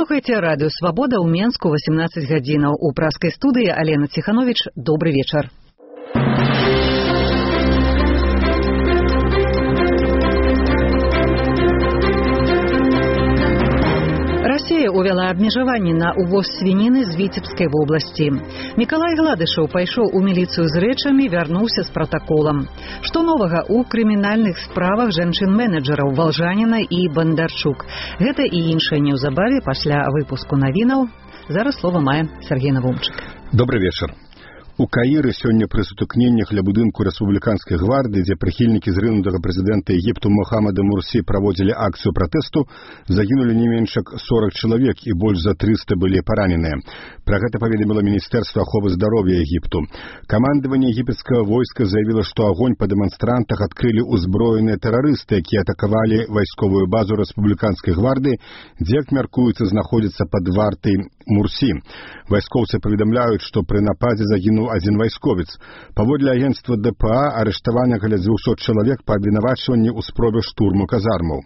Слухайте радыё «Свабода» ў Менску 18 гадзінаў. У праскай студыі Алена Ціхановіч. Добры вечар. Расія увяла абмежаванні на увоз свініны з Віцебскай вобласці. Мікалай Гладышаў пайшоў у міліцыю з рэчамі, вярнуўся з пратаколам. Што новага ў крымінальных справах жанчын-менеджераў Валжаніна і Бандарчук? Гэта і іншае неўзабаве пасля выпуску навінаў. Зараз слова мае Сергей Навумчык. Добрый вечар. У Каіры сёння пры сутыкненнях ля будынку рэспубліканскай гвардыі, дзе прыхільнікі зрынутага прэзідэнта Егіпту Мохаммада Мурсі праводзілі акцыю пратэсту, загінулі не менш як 40 чалавек і больш за 300 былі параненыя. Пра гэта паведаміла Міністэрства аховы здароўя Егіпту. Камандаванне егіпецкага войска заявіла, што агонь па дэманстрантах адкрылі ўзброеныя тэрарысты, якія атакавалі вайсковую базу рэспубліканскай гвардыі, дзе, як мяркуецца, знаходзіцца пад вартай Мурсі. Вайскоўцы паведамляюць, што пры нападзе загінуў адзін вайсковец. Паводле агенцтва ДПА арыштавана каля 200 чалавек па абвінавачванні ў спробе штурму казармаў.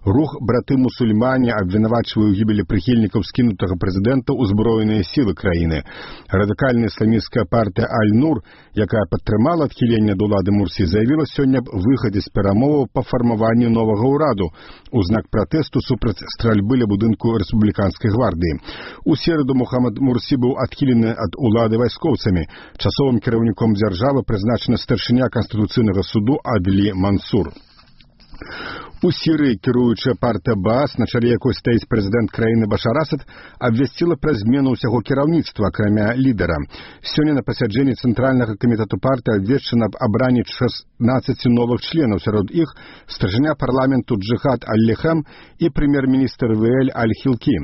Рух браты-мусульмане абвінавачвае ў гібелі прыхільнікаў скінутага прэзідэнта ўзброеныя сілы краіны. Радыкальная ісламісцкая партыя Аль-Нур, якая падтрымала адхіленне ад улады Мурсі, заявіла сёння аб выхадзе з перамоваў па фармаванню новага ўраду у знак пратэсту супраць стральбы ля будынку рэспубліканскай гвардыі. У сераду Мохаммад Мурсі быў адхілены ад улады вайскоўцамі. Часовым кіраўніком дзяржавы прызначана старшыня Канстытуцыйнага суду Адлі Мансур. У Сірыі кіруючая партыя Баас, на чале якой стаіць прэзідэнт краіны Башар Асад, абвясціла пра змену ўсяго кіраўніцтва, акрамя лідара. Сёння на пасяджэнні Цэнтральнага камітэту партыі абвешчана аб абранні 16 новых членаў, сярод іх старшыня парламенту Джихад Аль-Лехем і прэм'ер-міністр Веэль Аль-Хілкі.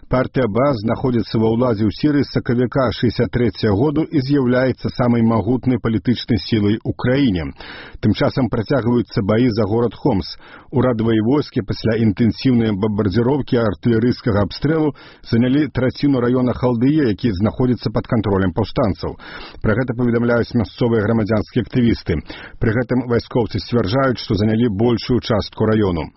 Партыя Баас знаходзіцца ва ўладзе ў Сірыі з сакавіка 63-го году і з'яўляецца самай магутнай палітычнай сілай у краіне. Тым часам працягваюцца баі за горад Хомс. Урадавыя войскі пасля інтэнсіўнай бамбардзіроўкі артылерыйскага абстрэлу занялі траціну раёна Халдыя, які знаходзіцца пад кантролем паўстанцаў. Пра гэта паведамляюць мясцовыя грамадзянскія актывісты. Пры гэтым вайскоўцы сцвярджаюць, што занялі большую частку раёну.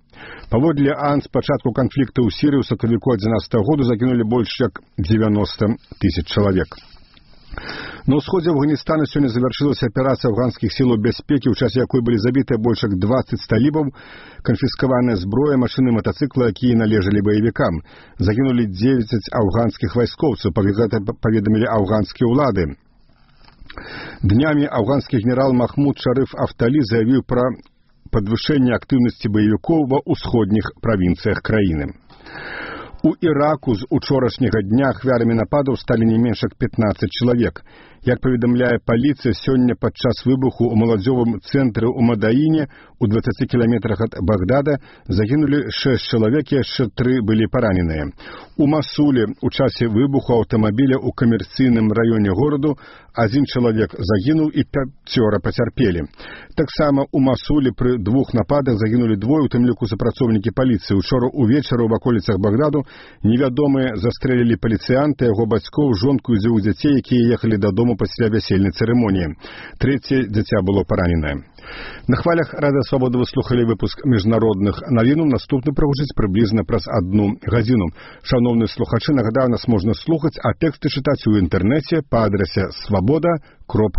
Паводле АН, з пачатку канфлікту ў Сірыі ў сакавіку 11-го году загінулі больш як 90 тысяч чалавек. На ўсходзе Афганістана сёння завяршылася аперацыя афганскіх сілаў бяспекі, у часе якой былі забітыя больш як 20 талібаў, канфіскаваная зброя, машыны, матацыклы, якія належалі баевікам. Загінулі 9 афганскіх вайскоўцаў, гэта паведамілі афганскія ўлады. Днямі афганскі генерал Махмуд Шарыф Афталі заявіў пра падвышэнне актыўнасці баевікоў ва ўсходніх правінцыях краіны. У Іраку з учорашняга дня ахвярамі нападаў сталі не менш як 15 чалавек. Як паведамляе паліцыя, сёння падчас выбуху ў маладзёвым цэнтры ў Мадаіне, у 20 кіламетрах ад Багдада, загінулі 6 чалавек, яшчэ 3 былі параненыя. У Масуле ў часе выбуху аўтамабіля ў камерцыйным раёне гораду 1 чалавек загінуў і 5 пацярпелі. Таксама ў Масуле пры 2 нападах загінулі 2, у тым ліку супрацоўнікі паліцыі. Учора ўвечары ў ваколіцах Багдаду невядомыя застрэлілі паліцыянта, яго бацькоў, жонку і 2 дзяцей, якія ехалі дадому пасля вясельнай цырымоніі. 3 дзіця было параненае. На хвалях Радыё Свабода вы слухалі выпуск міжнародных навінаў. Наступны прагучыць прыблізна праз 1 гадзіну. Шановныя слухачы, нагадаю, нас можна слухаць, а тэксты чытаць у інтэрнэце па адрасе swaboda.org.